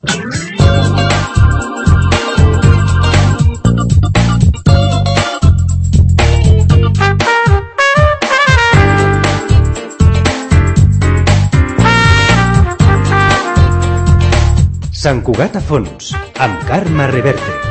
Sant Cugat a fons, amb Carme Reverte.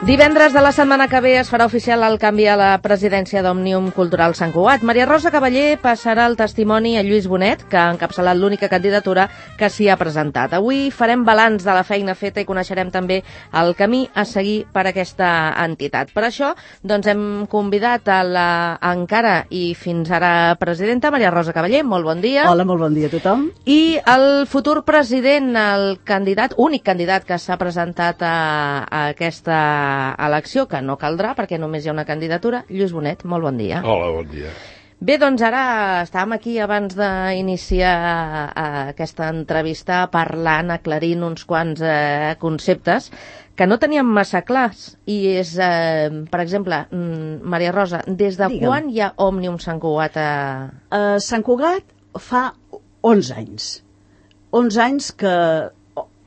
Divendres de la setmana que ve es farà oficial el canvi a la presidència d'Òmnium Cultural Sant Cugat. Maria Rosa Cavaller passarà el testimoni a Lluís Bonet, que ha encapçalat l'única candidatura que s'hi ha presentat. Avui farem balanç de la feina feta i coneixerem també el camí a seguir per aquesta entitat. Per això, doncs, hem convidat a la encara i fins ara presidenta, Maria Rosa Cavaller. Molt bon dia. Hola, molt bon dia a tothom. I el futur president, el candidat, únic candidat que s'ha presentat a aquesta elecció, que no caldrà perquè només hi ha una candidatura, Lluís Bonet, molt bon dia. Hola, bon dia. Bé, doncs ara estàvem aquí abans d'iniciar aquesta entrevista parlant, aclarint uns quants conceptes que no teníem massa clars i és, per exemple, Maria Rosa, des de quan hi ha Òmnium Sant Cugat? Sant Cugat fa 11 anys. 11 anys que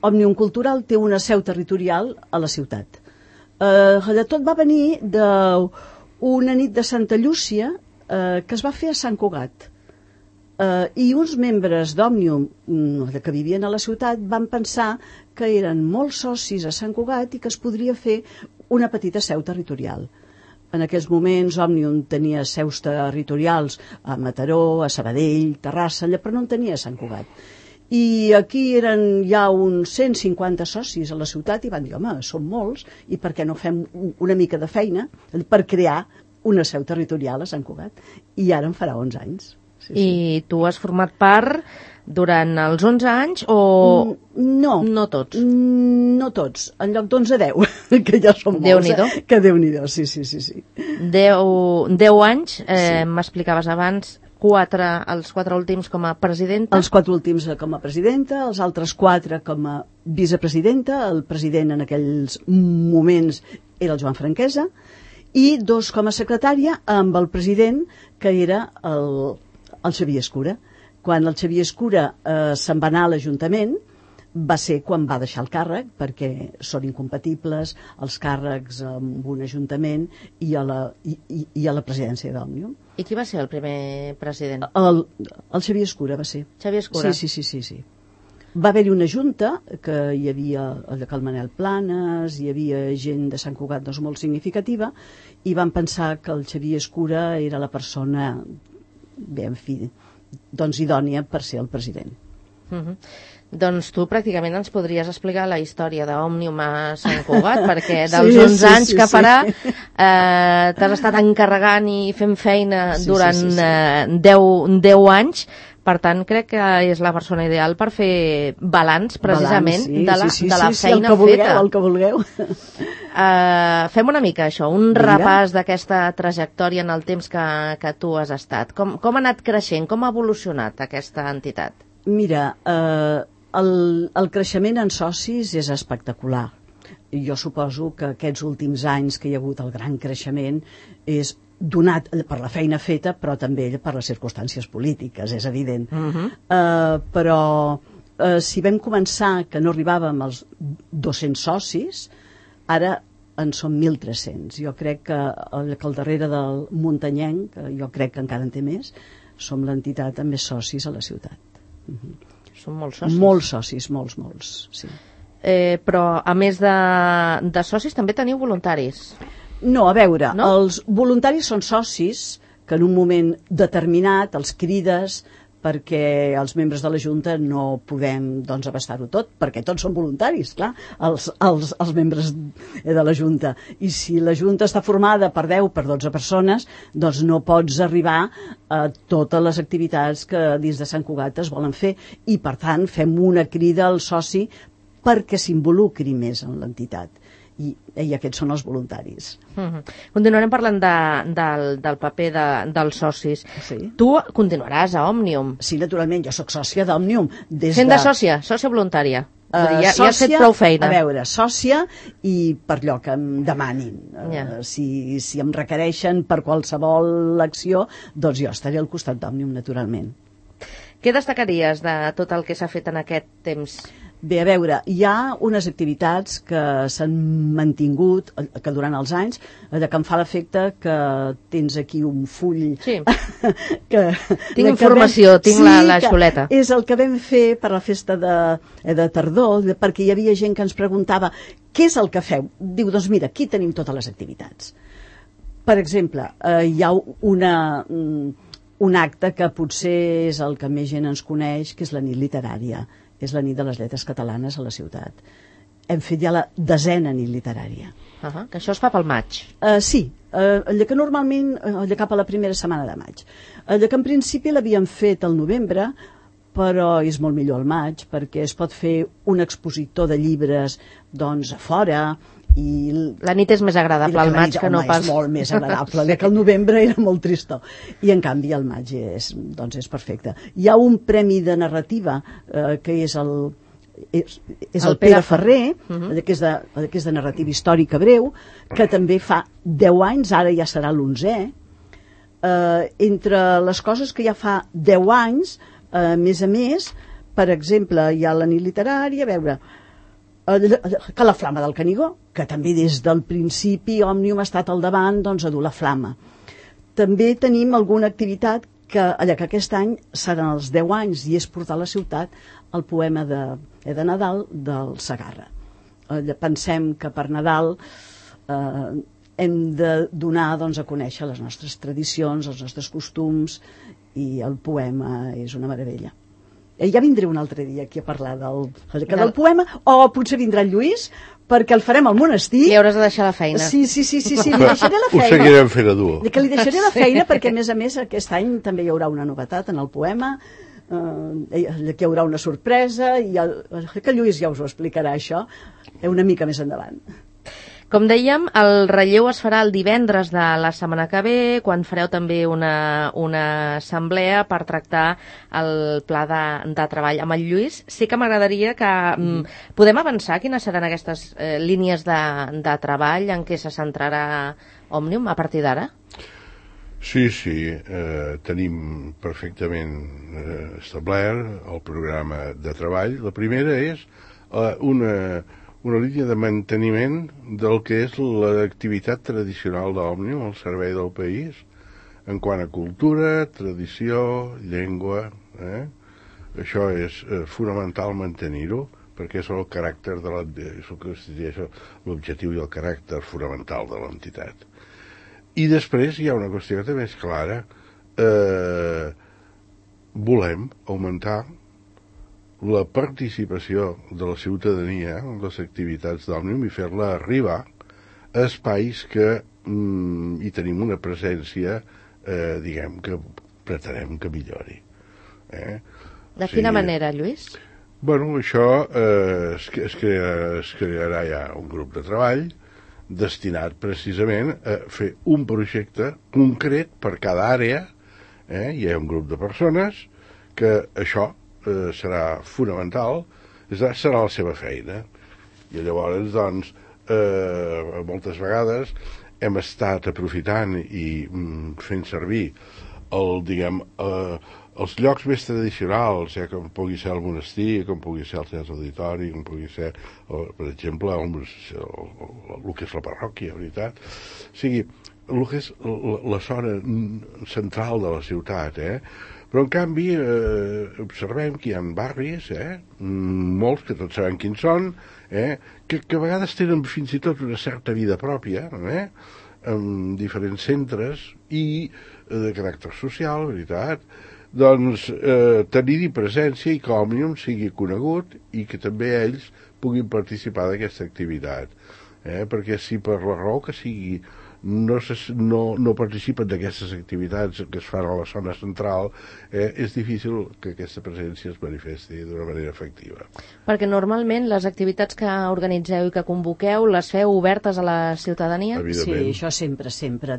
Òmnium Cultural té una seu territorial a la ciutat. Tot va venir d'una nit de Santa Llúcia que es va fer a Sant Cugat. I uns membres d'Òmnium que vivien a la ciutat van pensar que eren molts socis a Sant Cugat i que es podria fer una petita seu territorial. En aquells moments Òmnium tenia seus territorials a Mataró, a Sabadell, Terrassa, però no en tenia a Sant Cugat. I aquí eren ja uns 150 socis a la ciutat i van dir, home, som molts, i per què no fem una mica de feina per crear una seu territorial a Sant Cugat? I ara en farà 11 anys. Sí, I tu has format part durant els 11 anys o no tots? No tots, en lloc d'11 a 10, que ja són molts. Déu-n'hi-do. Que Déu-n'hi-do, sí. 10 anys, m'explicaves abans, els 4 últims com a presidenta? Els 4 últims com a presidenta, els altres 4 com a vicepresidenta, el president en aquells moments era el Joan Franquesa, i 2 com a secretària amb el president, que era el Xavier Escura. Quan el Xavier Escura se'n va anar a l'Ajuntament, va ser quan va deixar el càrrec, perquè són incompatibles els càrrecs amb un ajuntament i a la presidència d'Òmnium. I qui va ser el primer president? El Xavier Escura va ser. Xavier Escura? Sí. Va haver-hi una junta, que hi havia el Manel Planes, hi havia gent de Sant Cugat molt significativa, i van pensar que el Xavier Escura era la persona, bé, en fi, doncs idònia per ser el president. Doncs tu pràcticament ens podries explicar la història d'Òmnium a Sant Cugat, perquè dels 11 anys que farà t'has estat encarregant i fent feina durant 10 anys, per tant crec que és la persona ideal per fer balanç precisament de la feina feta. El que vulgueu. Fem una mica això, un repàs d'aquesta trajectòria en el temps que tu has estat. Com ha anat creixent, com ha evolucionat aquesta entitat? Mira, el creixement en socis és espectacular. Jo suposo que aquests últims anys que hi ha hagut el gran creixement és donat per la feina feta, però també per les circumstàncies polítiques, és evident. Però si vam començar que no arribàvem als 200 socis, ara en som 1.300. Jo crec que al darrere del muntanyenc, que jo crec que encara en té més, som l'entitat amb més socis a la ciutat. Són molts socis. Molts socis, molts, sí. Però a més de socis també teniu voluntaris. No, a veure, els voluntaris són socis que en un moment determinat els crides perquè els membres de la Junta no podem abastar-ho tot, perquè tots són voluntaris, clar, els membres de la Junta. I si la Junta està formada per 10, per 12 persones, doncs no pots arribar a totes les activitats que dins de Sant Cugat es volen fer. I, per tant, fem una crida al soci perquè s'involucri més en l'entitat. I aquests són els voluntaris. Continuarem parlant del paper dels socis. Sí. Tu continuaràs a Òmnium. Sí, naturalment, jo sóc sòcia d'Òmnium. Sent de sòcia voluntària. Ja has fet prou feina. A veure, sòcia i per allò que em demanin. Si em requereixen per qualsevol acció, doncs jo estaré al costat d'Òmnium, naturalment. Què destacaries de tot el que s'ha fet en aquest temps? Bé, a veure, hi ha unes activitats que s'han mantingut que durant els anys, que em fa l'efecte que tens aquí un full... Sí, tinc informació, tinc la xuleta. És el que vam fer per la festa de tardor, perquè hi havia gent que ens preguntava què és el que feu? Diu, doncs mira, aquí tenim totes les activitats. Per exemple, hi ha un acte que potser és el que més gent ens coneix, que és la nit literària. És la nit de les lletres catalanes a la ciutat. Hem fet ja la 10a nit literària. Que això es fa pel maig. Sí, allò que normalment, allò cap a la primera setmana de maig. Allò que en principi l'havíem fet al novembre, però és molt millor al maig, perquè es pot fer un expositor de llibres doncs a fora. La nit és més agradable al maig que no pas... És molt més agradable, que el novembre era molt tristó. I en canvi el maig és perfecte. Hi ha un premi de narrativa que és el Pere Ferrer, que és de narrativa històrica breu, que també fa 10 anys, ara ja serà l'11è. Entre les coses que ja fa 10 anys, a més, per exemple, hi ha la nit literària, a veure... que la Flama del Canigó, que també des del principi Òmnium ha estat al davant a dur la flama. També tenim alguna activitat que aquest any seran els 10 anys i és portar a la ciutat el poema de Nadal del Segarra. Pensem que per Nadal hem de donar a conèixer les nostres tradicions, els nostres costums, i el poema és una meravella. Ja vindré un altre dia aquí a parlar del poema, o potser vindrà en Lluís, perquè el farem al monestir. Li hauràs de deixar la feina. Sí, li deixaré la feina. Ho seguirem fent a dur. Que li deixaré la feina perquè, a més, aquest any també hi haurà una novetat en el poema, que hi haurà una sorpresa, i que Lluís ja us ho explicarà, això, una mica més endavant. Com dèiem, el relleu es farà el divendres de la setmana que ve, quan fareu també una assemblea per tractar el pla de treball. Amb el Lluís sí que m'agradaria que podem avançar quines seran aquestes línies de treball en què se centrarà Òmnium a partir d'ara? Sí, tenim perfectament establert el programa de treball. La primera és una línia de manteniment del que és l'activitat tradicional d'Òmnium al servei del país, en quant a cultura, tradició, llengua. Això és fonamental mantenir-ho, perquè és el caràcter l'objectiu i el caràcter fonamental de l'entitat. I després hi ha una qüestió que també és clara. Volem augmentar la participació de la ciutadania en les activitats d'Òmnium i fer-la arribar a espais que hi tenim una presència, diguem, que pretenem que millori. De quina manera, Lluís? Bueno, això es crearà ja un grup de treball destinat precisament a fer un projecte concret per cada àrea. Hi ha un grup de persones que això serà fonamental, serà la seva feina. I llavors, doncs, moltes vegades hem estat aprofitant i fent servir els llocs més tradicionals, com pugui ser el monestir, com pugui ser el centre auditori, com pugui ser, per exemple, el que és la parròquia, veritat. O sigui, el que és la zona central de la ciutat, Però, en canvi, observem que hi ha barris, molts, que tots sabem quins són, que a vegades tenen fins i tot una certa vida pròpia, en diferents centres i de caràcter social, veritat, doncs tenir-hi presència i que Òmnium sigui conegut i que també ells puguin participar d'aquesta activitat. Perquè si per la raó que sigui no participen d'aquestes activitats que es fan a la zona central, és difícil que aquesta presència es manifesti d'una manera efectiva. Perquè normalment les activitats que organitzeu i que convoqueu les feu obertes a la ciutadania? Sí, això sempre,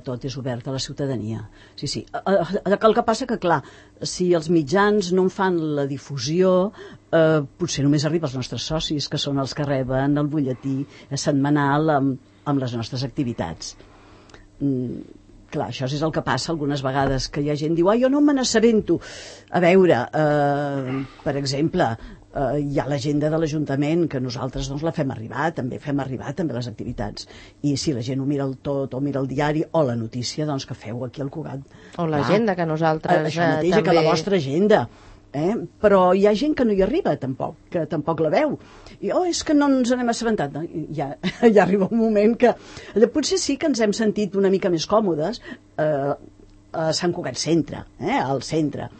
tot és obert a la ciutadania. Sí. El que passa que, clar, si els mitjans no en fan la difusió, potser només arriba als nostres socis, que són els que reben el butlletí setmanal amb les nostres activitats. Clar, això és el que passa algunes vegades, que hi ha gent que diu, jo no me n'assabento. A veure, per exemple, hi ha l'agenda de l'Ajuntament, que nosaltres doncs, la fem arribar també les activitats. I si la gent ho mira el tot, o mira el diari, o la notícia, doncs que feu aquí al Cugat. O l'agenda, que nosaltres això mateix, també... que la vostra agenda. Però hi ha gent que no hi arriba tampoc, que tampoc la veu i és que no ens n'hem assabentat, no? Ja arriba un moment que potser sí que ens hem sentit una mica més còmodes a Sant Cugat Centre, al centre,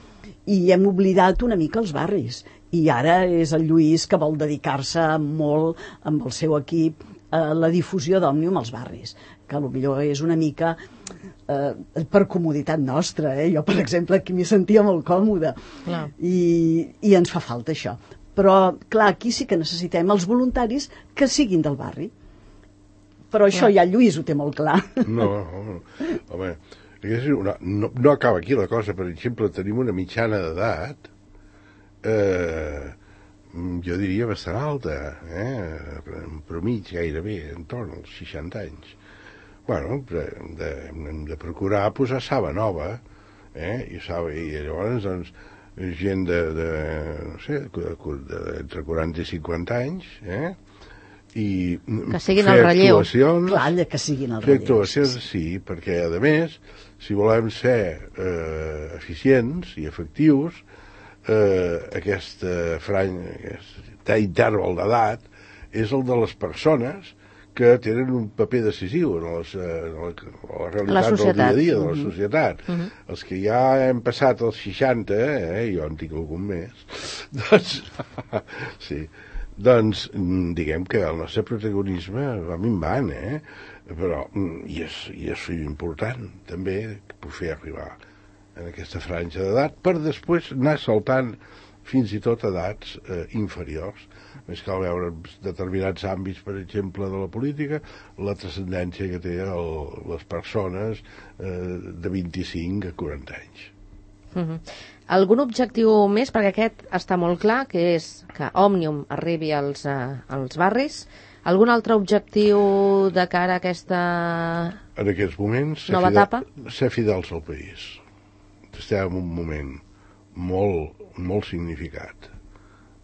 i hem oblidat una mica els barris, i ara és el Lluís que vol dedicar-se molt amb el seu equip a la difusió d'Òmnium als barris, que potser és una mica per comoditat nostra. Jo, per exemple, aquí m'hi sentia molt còmoda i ens fa falta això. Però, clar, aquí sí que necessitem els voluntaris que siguin del barri. Però això ja el Lluís ho té molt clar. No, home, no acaba aquí la cosa. Per exemple, tenim una mitjana d'edat, jo diria bastant alta, però mig gairebé, entorn als 60 anys. Bueno, hem de procurar posar saba nova, i llavors, doncs, gent no sé, entre 40 i 50 anys, i que siguin el relleu. Clar, que siguin el relleu. Actuacions, sí, perquè, a més, si volem ser eficients i efectius, aquest interval d'edat és el de les persones que tenen un paper decisiu en la realitat del dia a dia de la societat. Els que ja hem passat els 60, jo en tinc algun més, doncs diguem que el nostre protagonisme va minvant, però i és important també fer arribar en aquesta franja d'edat per després anar saltant fins i tot edats inferiors. Més cal veure determinats àmbits, per exemple, de la política, la transcendència que té les persones de 25 a 40 anys. Algun objectiu més? Perquè aquest està molt clar, que és que Òmnium arribi als barris. Algun altre objectiu de cara a aquesta en aquests moments, nova etapa? Ser fidels al país. Estem en un moment molt significat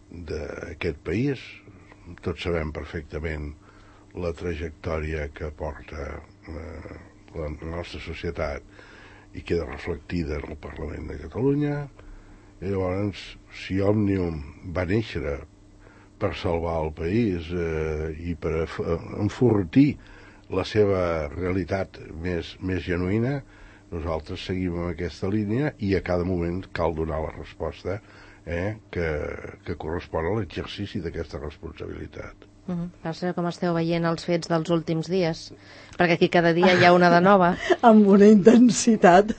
d'aquest país. Tots sabem perfectament la trajectòria que porta la nostra societat i queda reflectida en el Parlament de Catalunya. I llavors, si Òmnium va néixer per salvar el país i per enfortir la seva realitat més genuïna, nosaltres seguim en aquesta línia i a cada moment cal donar la resposta que correspon a l'exercici d'aquesta responsabilitat. Passa com esteu veient els fets dels últims dies, perquè aquí cada dia hi ha una de nova. Amb una intensitat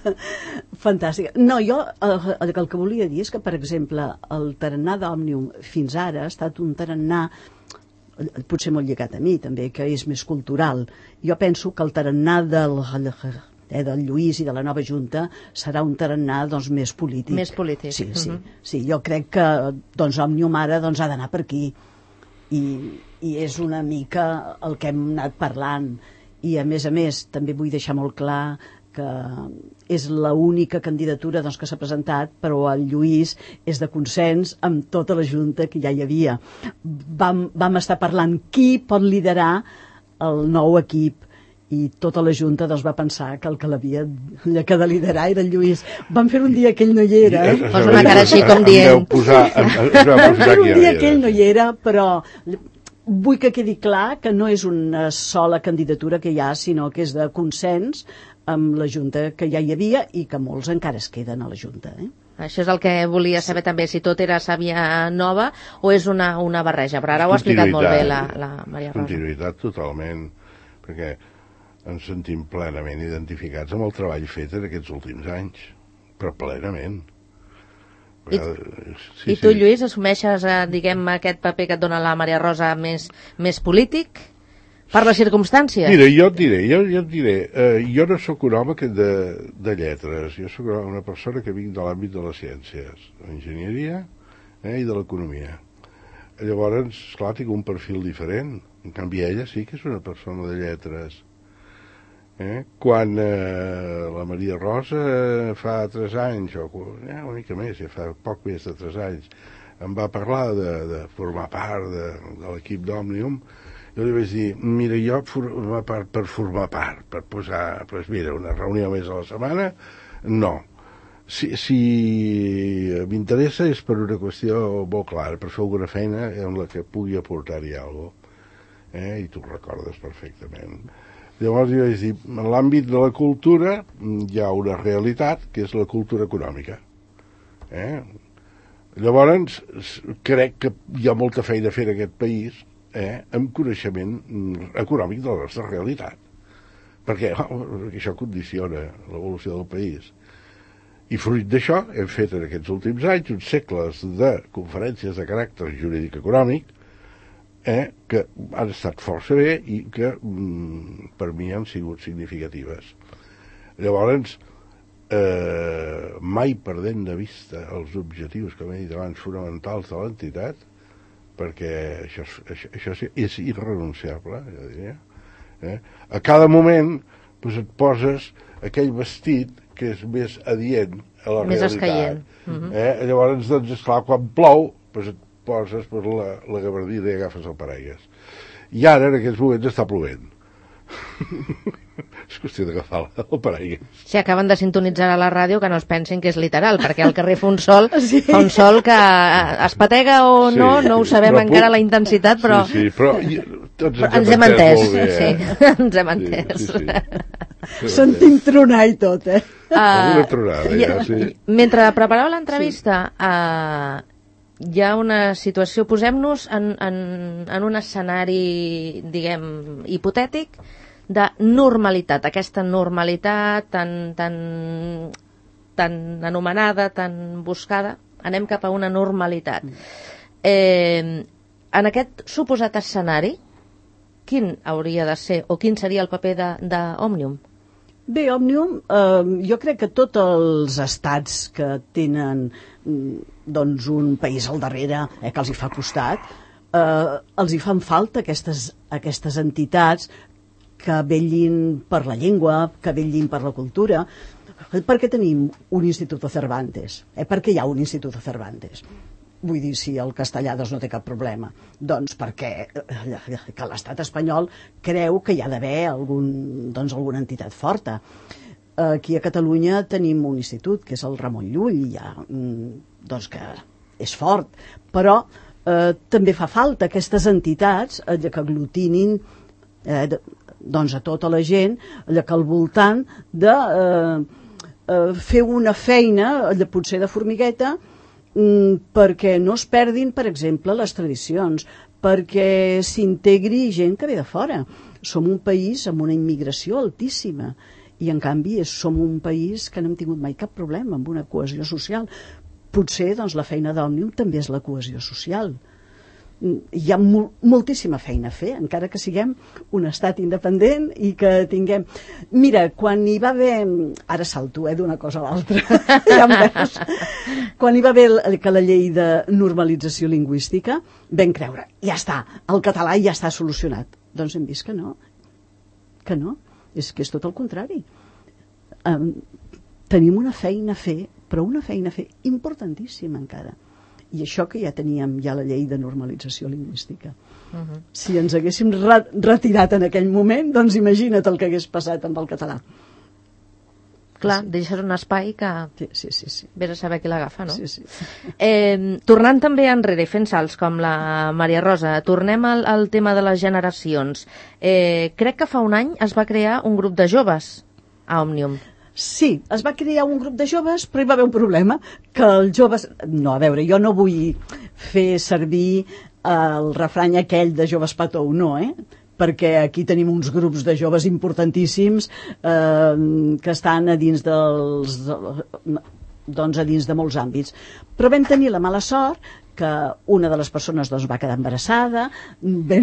fantàstica. No, jo el que volia dir és que, per exemple, el tarannà d'Òmnium fins ara ha estat un tarannà potser molt lligat a mi també, que és més cultural. Jo penso que el tarannà del Lluís i de la nova Junta serà un tarannà més polític. Més polític. Sí, jo crec que Òmnium ara ha d'anar per aquí i és una mica el que hem anat parlant i a més també vull deixar molt clar que és l'única candidatura que s'ha presentat, però el Lluís és de consens amb tota la Junta que ja hi havia. Vam estar parlant qui pot liderar el nou equip i tota la Junta va pensar que el que l'havia de liderar era el Lluís. Vam fer un dia que ell no hi era. Posa una cara així com dient. Vam fer un dia que ell no hi era, però vull que quedi clar que no és una sola candidatura que hi ha, sinó que és de consens amb la Junta que ja hi havia i que molts encara es queden a la Junta. Això és el que volia saber també, si tot era sàvia nova o és una barreja. Però ara ho ha explicat molt bé la Maria Rosa. Continuïtat totalment, perquè ens sentim plenament identificats amb el treball fet en aquests últims anys, però plenament. I tu, Lluís, assumeixes, diguem, aquest paper que et dona la Maria Rosa més polític? Per les circumstàncies? Mira, jo et diré, jo no sóc un home de lletres, jo sóc una persona que vinc de l'àmbit de les ciències, de l'enginyeria i de l'economia. Llavors, esclar, tinc un perfil diferent, en canvi ella sí que és una persona de lletres. Quan la Maria Rosa fa 3 anys, o una mica més, ja fa poc més de 3 anys, em va parlar de formar part de l'equip d'Òmnium. Jo li vaig dir, mira, jo per formar part, per posar, doncs mira, una reunió més a la setmana, no. Si m'interessa és per una qüestió molt clara, per fer alguna feina en la que pugui aportar-hi alguna cosa. I tu ho recordes perfectament. Llavors jo vaig dir, en l'àmbit de la cultura hi ha una realitat, que és la cultura econòmica. Llavors, crec que hi ha molta feina a fer en aquest país, amb coneixement econòmic de la nostra realitat, perquè això condiciona l'evolució del país. I fruit d'això hem fet en aquests últims anys uns segles de conferències de caràcter jurídic-econòmic que han estat força bé i que per mi han sigut significatives. Llavors, mai perdent de vista els objectius, com he dit abans, fonamentals de l'entitat, perquè això és irrenunciable, jo diria. A cada moment et poses aquell vestit que és més adient a la més realitat. escaient. Llavors, doncs, esclar, quan plou, et poses la gabardina i agafes el paraigues. I ara, en aquests moments, està plovent. És qüestió d'agafar el paraigues. Si acaben de sintonitzar a la ràdio, que no es pensin que és literal, perquè al carrer fa un sol que es patega o no, no ho sabem encara la intensitat, però... Sí, però tots ens hem entès molt bé, sí, ens hem entès. Sentim tronar i tot, Alguna tronada, ja, sí. Mentre preparava l'entrevista, hi ha una situació, posem-nos en un escenari, diguem, hipotètic, de normalitat, aquesta normalitat tan anomenada, tan buscada, anem cap a una normalitat. En aquest suposat escenari, quin hauria de ser, o quin seria el paper d'Òmnium? Bé, Òmnium, jo crec que tots els estats que tenen doncs, un país al darrere que els hi fa costat, els hi fan falta aquestes entitats que vetllin per la llengua, que vetllin per la cultura. Per què tenim un Instituto Cervantes? Per què hi ha un Instituto Cervantes? Vull dir, si el castellà doncs, no té cap problema. Doncs perquè que l'estat espanyol creu que hi ha d'haver alguna entitat forta. Aquí a Catalunya tenim un institut, que és el Ramon Llull, doncs que és fort, però també fa falta aquestes entitats que aglutinin doncs a tota la gent que al voltant de fer una feina potser de formigueta perquè no es perdin, per exemple, les tradicions, perquè s'integri gent que ve de fora. Som un país amb una immigració altíssima i en canvi som un país que no hem tingut mai cap problema amb una cohesió social. Potser doncs, la feina d'Òmnium també és la cohesió social. Hi ha moltíssima feina a fer, encara que siguem un estat independent i que tinguem... Mira, quan hi va haver... Ara salto, d'una cosa a l'altra. Ja em veus. Quan hi va haver que la llei de normalització lingüística, vam creure, ja està, el català ja està solucionat. Doncs hem vist que no. Que no. És que és tot el contrari. Tenim una feina a fer, però una feina a fer importantíssima encara. I això que ja teníem la llei de normalització lingüística. Si ens haguéssim retirat en aquell moment, doncs imagina't el que hagués passat amb el català. Clar, deixes un espai que... Sí. Vés a saber qui l'agafa, no? Sí. Tornant també enrere, fent salts com la Maria Rosa, tornem al tema de les generacions. Crec que fa un any es va crear un grup de joves a Òmnium. Sí, es va crear un grup de joves, però hi va haver un problema, que els joves... No, a veure, jo no vull fer servir el refrany aquell de joves patou, no, perquè aquí tenim uns grups de joves importantíssims que estan a dins a dins de molts àmbits. Però vam tenir la mala sort que una de les persones va quedar embarassada, bé,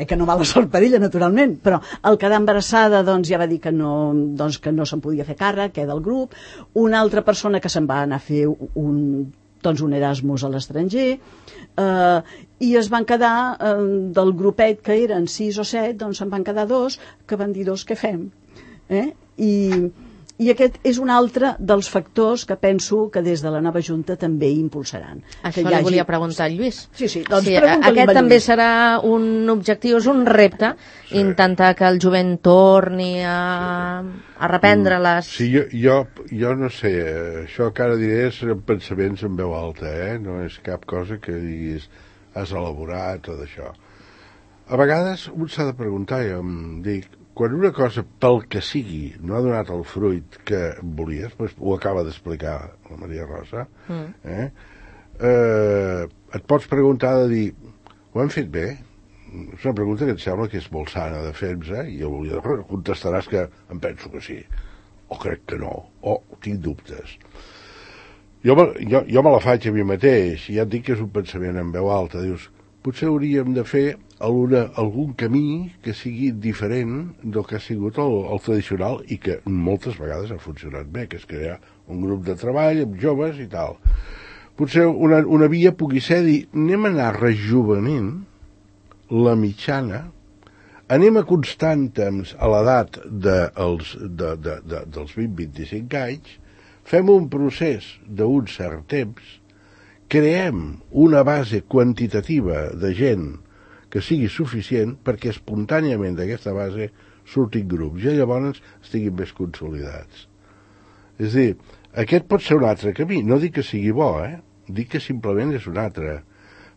que no mala sort per ella, naturalment, però al quedar embarassada ja va dir que no se'n podia fer càrrec, que del grup, una altra persona que se'n va anar a fer un Erasmus a l'estranger, i es van quedar, del grupet que eren 6 o 7, se'n van quedar 2, que van dir què fem? I aquest és un altre dels factors que penso que des de la nova Junta també impulsaran. Això li volia preguntar al Lluís. Sí, aquest també serà un objectiu, és un repte, intentar que el jovent torni a reprendre les... Sí, jo no sé, això que ara diré són pensaments en veu alta, no és cap cosa que diguis has elaborat o d'això. A vegades un s'ha de preguntar, jo em dic, quan una cosa, pel que sigui, no ha donat el fruit que volies, ho acaba d'explicar la Maria Rosa, et pots preguntar de dir, ho hem fet bé? És una pregunta que et sembla que és molt sana de fer-nos, i contestaràs que em penso que sí, o crec que no, o tinc dubtes. Jo me la faig a mi mateix, i ja et dic que és un pensament en veu alta, dius, potser hauríem de fer algun camí que sigui diferent del que ha sigut el tradicional i que moltes vegades ha funcionat bé, que és crear un grup de treball amb joves i tal. Potser una via pugui ser dir, anem a anar rejuvenint la mitjana, anem acostant a l'edat dels 20-25 anys, fem un procés d'un cert temps, creem una base quantitativa de gent que sigui suficient perquè espontàniament d'aquesta base surtin grups i llavors estiguin més consolidats. És a dir, aquest pot ser un altre camí. No dic que sigui bo, dic que simplement és un altre.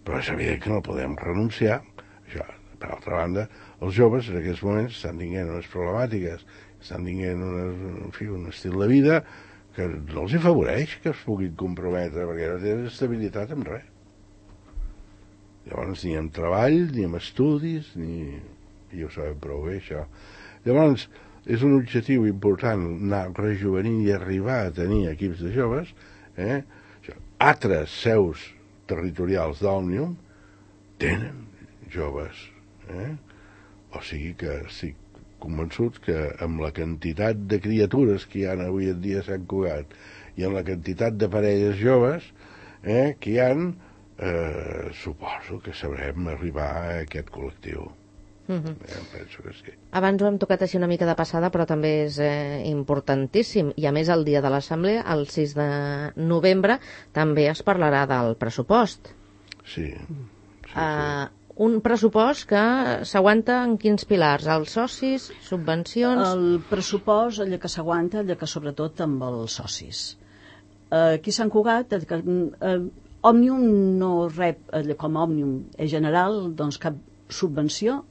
Però és evident que no podem renunciar. Això, per altra banda, els joves en aquests moments estan tinguent unes problemàtiques, estan tinguent un estil de vida que no els afavoreix que es puguin comprometre perquè no tenen estabilitat en res. Llavors ni en treball, ni en estudis, i ho sabem prou bé, això. Llavors, és un objectiu important anar rejuvenint i arribar a tenir equips de joves, altres seus territorials d'Òmnium tenen joves, o sigui que estic convençut que amb la quantitat de criatures que hi ha avui en dia a Sant Cugat i amb la quantitat de parelles joves que hi ha, suposo que sabrem arribar a aquest col·lectiu. Penso que sí. Abans ho hem tocat així una mica de passada, però també és importantíssim, i a més el dia de l'Assemblea, el 6 de novembre, també es parlarà del pressupost. Sí. Un pressupost que s'aguanta en quins pilars? Els socis, subvencions... El pressupost, allò que s'aguanta, allò que sobretot amb els socis. Aquí a Sant Cugat, Òmnium no rep, com a Òmnium general, doncs cap subvenció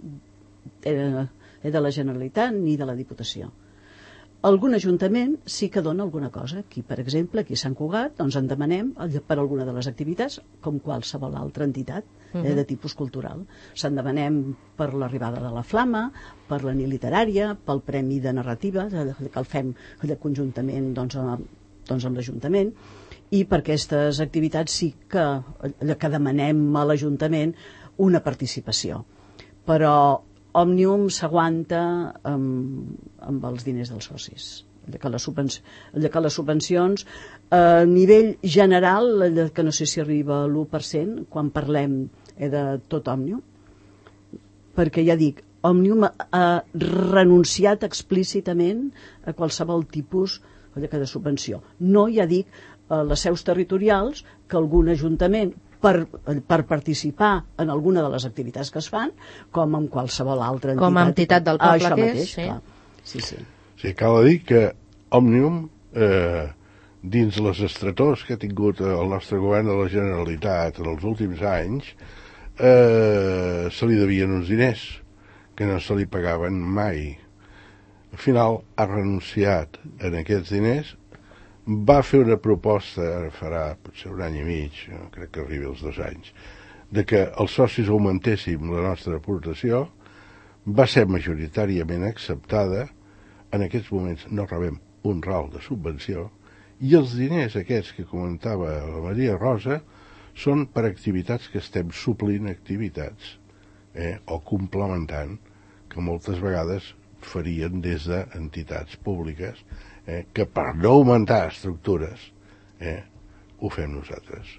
de la Generalitat ni de la Diputació. Algun ajuntament sí que dona alguna cosa. Aquí, per exemple, aquí a Sant Cugat, doncs en demanem per alguna de les activitats, com qualsevol altra entitat de tipus cultural. Se'n demanem per l'arribada de la Flama, per la nit literària, pel Premi de Narrativa, que el fem conjuntament amb l'Ajuntament, i per aquestes activitats sí que demanem a l'Ajuntament una participació. Però Òmnium s'aguanta amb els diners dels socis. Que les subvencions a nivell general, que no sé si arriba a l'1% quan parlem de tot Òmnium, perquè ja dic, Òmnium ha renunciat explícitament a qualsevol tipus de subvenció. No, ja dic, a les seus territorials, que algun ajuntament per participar en alguna de les activitats que es fan, com en qualsevol altra entitat. Com a entitat del poble això que mateix, és. Sí. Sí, cal dir que Òmnium, dins les estretors que ha tingut el nostre govern de la Generalitat en els últims anys, se li devien uns diners que no se li pagaven mai. al final ha renunciat en aquests diners, va fer una proposta, ara farà potser un any i mig, no crec que arribi als 2 anys, de que els socis augmentéssim la nostra aportació, va ser majoritàriament acceptada. En aquests moments no rebem un ral de subvenció, i els diners aquests que comentava la Maria Rosa són per activitats que estem suplint activitats, o complementant, que moltes vegades farien des d'entitats públiques, que per no augmentar estructures ho fem nosaltres.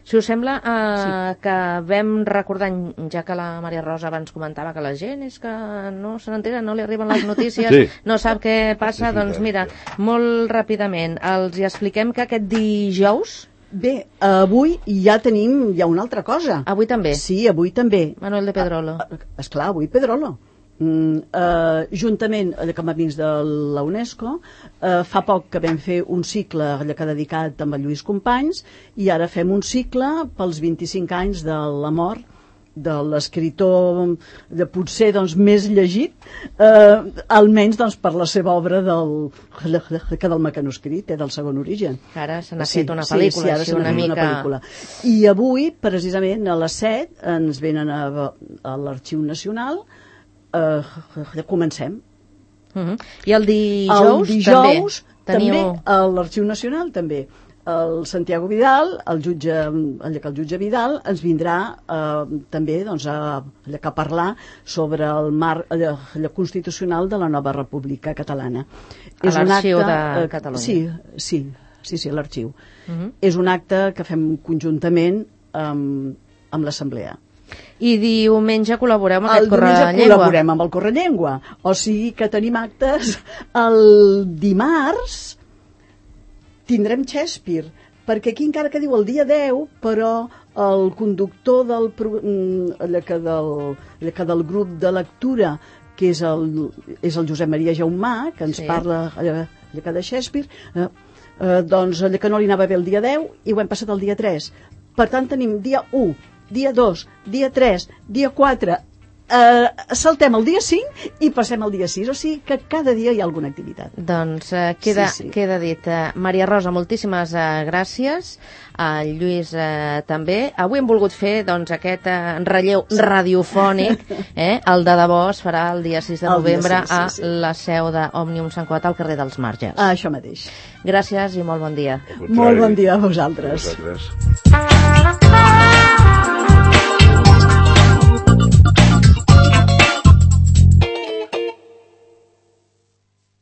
Si us sembla, que vam recordant, ja que la Maria Rosa abans comentava que la gent és que no se n'entera, no li arriben les notícies, Sí. no sap què passa, doncs mira, molt ràpidament, els hi expliquem que aquest dijous, Bé, avui ja tenim una altra cosa. avui també, Sí, avui també. Manuel de Pedrolo. Esclar, avui Pedrolo. Juntament amb amics de la UNESCO, fa poc que vam fer un cicle que ha dedicat amb el Lluís Companys, i ara fem un cicle pels 25 anys de la mort de l'escriptor potser més llegit, almenys per la seva obra del mecanoscrit, del segon origen. Ara se n'ha fet una pel·lícula, ara se n'ha fet una pel·lícula. I avui, precisament, a les 7, ens venen a l'Arxiu Nacional. Comencem. I el dijous també a l'Arxiu Nacional també el Santiago Vidal, el jutge Vidal ens vindrà també a parlar sobre el marc constitucional de la nova República Catalana. A l'Arxiu de Catalunya. Sí, a l'Arxiu. És un acte que fem conjuntament amb l'Assemblea. I diumenge col·laboreu amb aquest Correllengua. Correllengua. Col·laborem amb el Correllengua. O sigui que tenim actes el dimarts. Tindrem Shakespeare, perquè aquí encara que diu el dia 10, però el conductor del grup de lectura, que és el Josep Maria Jaumà, que ens parla de Shakespeare, doncs que no li anava bé el dia 10 i ho hem passat el dia 3. Per tant, tenim dia 1, dia 2, dia 3, dia 4, saltem el dia 5 i passem al dia 6, o sigui que cada dia hi ha alguna activitat. Doncs queda dit. Maria Rosa, moltíssimes gràcies, el Lluís també. Avui hem volgut fer aquest relleu radiofònic, el de debò es farà el dia 6 de novembre a la seu d'Òmnium Sant Cugat al carrer dels Marges. Això mateix. Gràcies i molt bon dia. Molt bon dia a vosaltres.